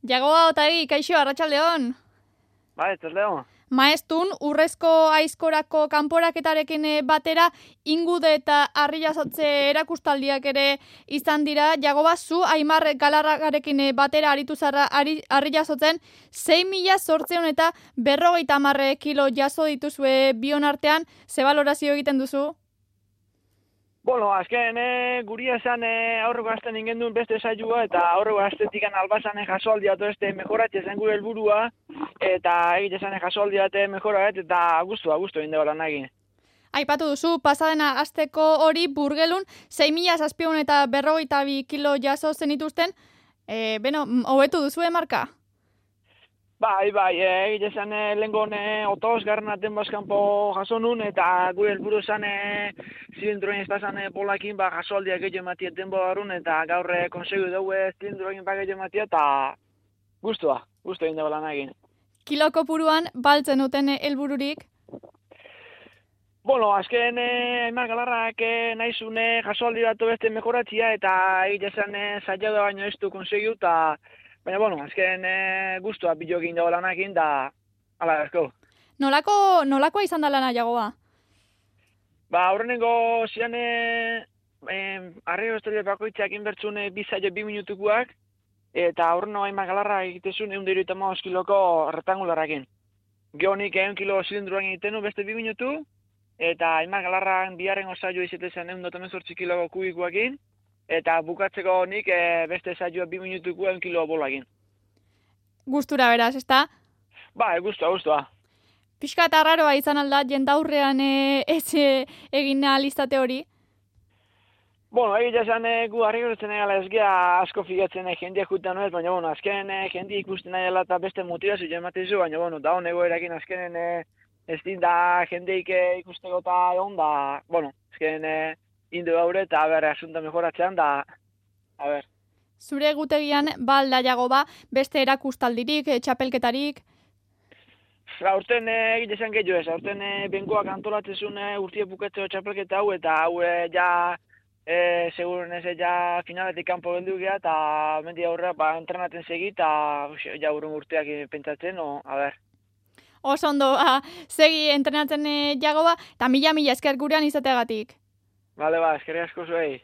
Jagoa Otagi, kaixo, arratsaldeon. Bai, arratsaldeon. Maestun, urrezko aizkorako kanporaketarekin batera, ingude eta harri-jasotze erakustaldiak ere izan dira. Jagoba, zu Aimar Galarragarekin batera aritu zara harri-jasotzen, 6.800 eta 50 kilo jaso dituzue bion artean, ze balorazio egiten duzu? Bueno, azken guria esan aurreko astean ingen duen beste saioa eta aurreko astetik albasan jasoaldia beste mejoratze zen gure helburua eta egite zen jasoaldia mejorat eta gustu egin dela nagin. Aipatu duzu, pasadena asteko hori Burgelun 6.700 eta 52 kilo jaso zenituzten, hobetu duzu marka? Bai, egite zen lehengon otoz garranaten bazkanpo jaso nun eta gure helburu zen zilindroin ez bazan polakin jasoaldiak gehiago ematia denbo barun eta gaur konsegu dugu zilindroin gehiago ematia eta gustu egin dela nagin. Kiloko puruan baltzen duten helbururik? Bueno, azken Aimar Galarrak nahizune jasoaldi batu beste mejoratzia eta egite zen saiada baino ez du konsegu eta baina, bueno, azken guztua bilo egin dago lanakin, da ala asko. Nolakoa izan da lana, Jagoa? Aurrenengo zian arrego estorio bakoitzak inbertzun 2 minutukoak, eta aurreno Aimar Galarra egitezun 175 kiloko rektangularakin. Geonik 1 kilo zilindroan egiten beste 2 minutu, eta Aimar Galarran biharren osaio izatezen 118 kiloko kubikoakin, eta bukatzeko nik beste saioa 2 minutuko 1 kilo bolagin. Gustura beraz, ezta? Bai, gustua. Pixka eta arraroa izan alda, jendaurrean ez egin alizate hori? Bueno, egia esan gu harrigortzen egala ez gea asko figatzen jendeak jutan ez, baina bueno, azken jende ikusten nahi eta beste motivazio ematezu, baina bueno, da honego erakin azkenen ez din da jendeik ikusteko eta egon da, bueno, azken indu gaur eta asunta mejoratzean da, Zure gutegian, balda Jagoba, beste erakustaldirik, txapelketarik? Aurten egite zen gehiago ez, aurten bengoak antolatzezun urtie bukatzeko txapelketa hau, eta hau ja, seguren ez, ja finaletik kanpo geldu geha, eta mendi aurrera, entrenaten segi, eta ja urrun urteak pentsatzen, Oso ondo, segi entrenatzen Jagoba, eta mila esker gurean izateagatik. Bale, eskerrik asko zuei.